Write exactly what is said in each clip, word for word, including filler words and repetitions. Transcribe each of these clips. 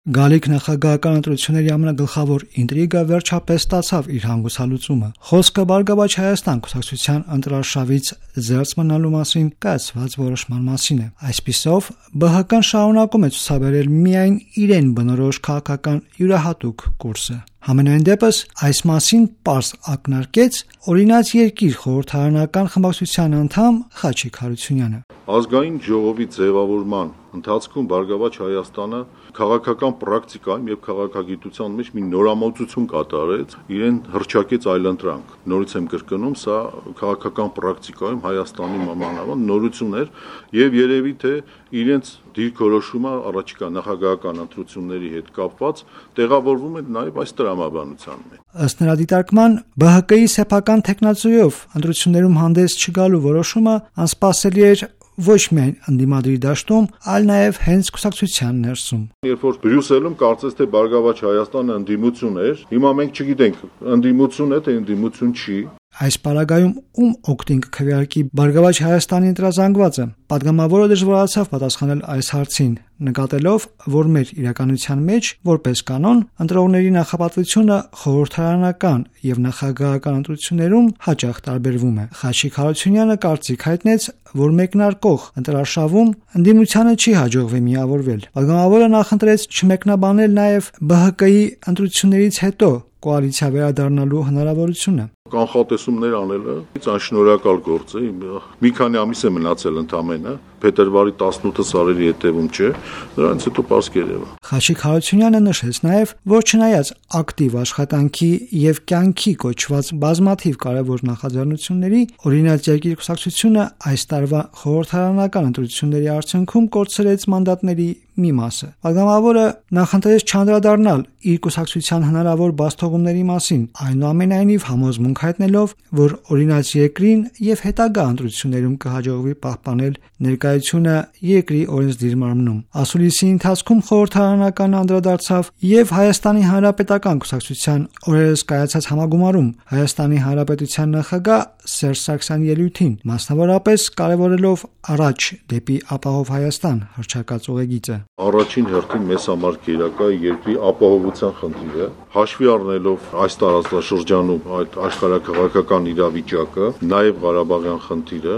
Գալիք նախագահական ընտրությունների ամենագլխավոր ինտրիգը վերջապես ստացավ իր հանգուցալուծումը։ Խոսքը Բարգավաճ Հայաստան կուսակցության ընտրարշավից զերծ մնալու մասին կայացված որոշման մասին է։ Այսպիսով, ԲՀԿ-ն շարունակում է ցուցաբերել միայն իրեն բնորոշ քաղաքական յուրահատուկ կուրսը։ Համենայն դեպս, այս մասին պարզ ակնարկեց Օրինաց երկիր խորհրդարանական խմբակցության անդամ Խաչիկ Հարությունյանը։ Ազգային ժողովի ձևավորման ընթացքում Բարգավաճ Հայաստանը քաղաքական պրակտիկայում եւ քաղաքագիտության մեջ մի նորամուծություն կատարեց, իրեն հռչակեց այլընտրանք։ Նորից եմ կրկնում, սա քաղաքական պրակտիկայում Հայաստանի մանավանդ նորություն էր եւ երևի թե իրենց դիրքորոշումը առաջիկա նախագահական ընտրությունների հետ կապված տեղավորվում է նաեւ այս տրամաբանության մեջ։ Ըստ նրա դիտարկման, ԲՀԿ-ի սեփական տեխնացուով ընտրություններում հանդես չգալու որոշումը անսպասելի էր ոչ միայն ընդդիմադիր դաշտում, այլ նաև հենց կուսակցության ներսում։ Երբ որ Բրյուսելում կարծես թե Բարգավաճ Հայաստանը ընդդիմություն էր, հիմա մենք չգիտենք ընդդիմություն է թե ընդդիմություն չի։ Այս պարագայում ում օգտին կքվեարկի Բարգավաճ Հայաստանի ընտրազանգվածը։ Պատգամավորը դժվարացավ պատասխանել այս հարցին, նկատելով, որ մեր իրականության մեջ, որպես կանոն, ընտրողների նախապատվությունը խորհրդարանական եւ նախագահական ընտրություններում հաճախ տարբերվում է։ Խաչիկ Հարությունյանը կարծիք հայտնեց, որ մեկնարկող ընտրարշավում ընդդիմությանը չի հաջողվի միավորվել։ Պատգամավորը նախընտրեց չմեկնաբանել նաեւ ԲՀԿ-ի ընտրություններից հետո կոալիցիա վերադառնալու հնարավորությունը։ Կանխատեսումներ անելը անշնորհակալ գործ է։ Մի քանի ամիս է մնացել ընդամենը, փետրվարի տասնութը սարերի հետևում չէ, դրանից հետո պարզ կերևա։ Խաչիկ Հարությունյանը նշեց նաև, որ չնայած ակտիվ աշխատանքի եւ կյանքի կոչված բազմաթիվ կարևոր նախաձեռնությունների, Օրինաց երկիր կուսակցությունը այս տարվա խորհրդարանական ընտրությունների արդյունքում կորցրեց մանդատների մի մասը։ Պատգամավորը նախընտրեց չանդրադառնալ իր կուսակցության հնարավոր բացթողումների մասին, այնուամենայնիվ համոզմունք հայտնելով, որ Օրինաց երկրին եւ հետագա ընտրություններում կհաջողվի պահպանել ներկայությունը երկրի օրենսդիր մարմնում։ Ասուլիսի ընթացքում խորհրդարանական անդրադարձավ եւ Հայաստանի Հանրապետական կուսակցության օրերս կայացած համագումարում Հայաստանի Հանրապետության նախագահ Սերժ Սարգսյանի ելույթին, մասնավորապես կարևորելով առաջ դեպի ապահով Հայաստան հռչակած ուղեգիծը։ Առաջին հերթին մեզ համար կերակա երկրի ապահովության խնդիրը, հաշվի առնելով այս տարածաշրջանում այդ աշխարհաքաղաքական իրավիճակը, նաև Ղարաբաղյան խնդիրը,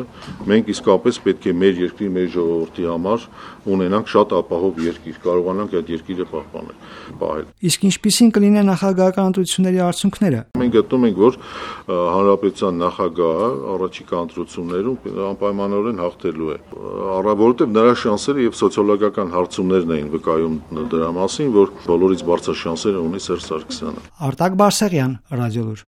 մենք իսկապես պետք է մեր երկրի, մեր ժողովրդի համար ունենանք շատ ապահով երկիր, կարողանանք այդ երկիրը պահպանել, պահել։ Իսկ ինչպիսին կլինեն նախագահական ընտրությունների արդյունքները։ Մենք գտնում ենք, որ հանրապետության նախագահը առաջիկա ընտրություններում անպայմանորեն հաղթելու է, որովհետև նրա շանսերը եւ սոցիոլոգիական հարցումներն էին վկայում դրա մասին, որ բոլորից բարձր շանսերը ունի Սերժ Սարգսյանը։ Արտակ Բարսեղյան, Ռադիոլուր։